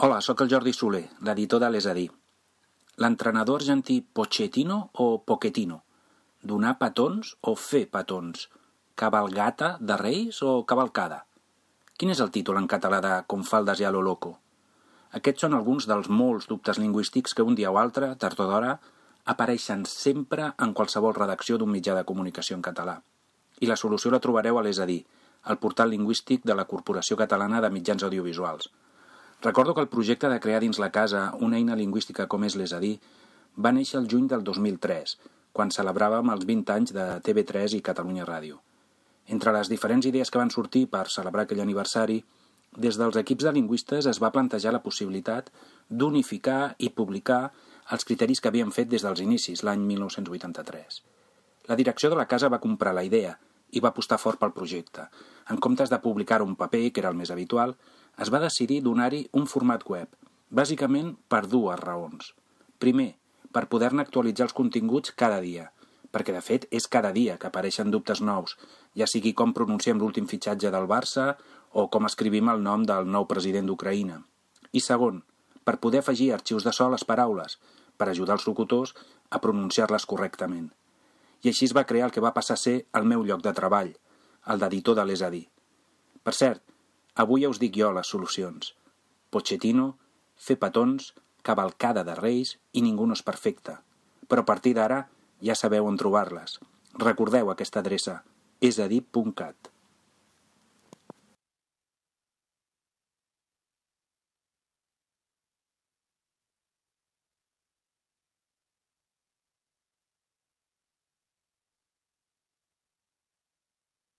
Hola, sóc el Jordi Soler, l'editor de l'És a dir. L'entrenador argentí Pochettino o Pochettino? Donar petons o fer petons? Cabalgata de Reis o cavalcada? Quin és el títol en català de Com faldes i a lo loco? Aquests són alguns dels molts dubtes lingüístics que un dia o altre, tard o d'hora, apareixen sempre en qualsevol redacció d'un mitjà de comunicació en català. I la solució la trobareu a l'És a dir, el portal lingüístic de la Corporació Catalana de Mitjans Audiovisuals. Recordo que el projecte de crear dins la casa una eina lingüística com és l'És a dir va néixer el juny del 2003, quan celebràvem els 20 anys de TV3 i Catalunya Ràdio. Entre les diferents idees que van sortir per celebrar aquell aniversari, des dels equips de lingüistes es va plantejar la possibilitat d'unificar i publicar els criteris que havíem fet des dels inicis, l'any 1983. La direcció de la casa va comprar la idea i va apostar fort pel projecte. En comptes de publicar un paper, que era el més habitual, es va decidir donar-hi un format web, bàsicament per dues raons. Primer, per poder-ne actualitzar els continguts cada dia, perquè de fet és cada dia que apareixen dubtes nous, ja sigui com pronunciem l'últim fitxatge del Barça o com escrivim el nom del nou president d'Ucraïna. I segon, per poder afegir arxius de so a les paraules, per ajudar els locutors a pronunciar-les correctament. I així es va crear el que va passar a ser el meu lloc de treball, el d'editor de l'És a dir. Per cert, avui ja us dic jo les solucions. Pochettino, fer petons, cavalcada de Reis i ningú no és perfecte. Però a partir d'ara ja sabeu on trobar-les. Recordeu aquesta adreça, esadir.cat.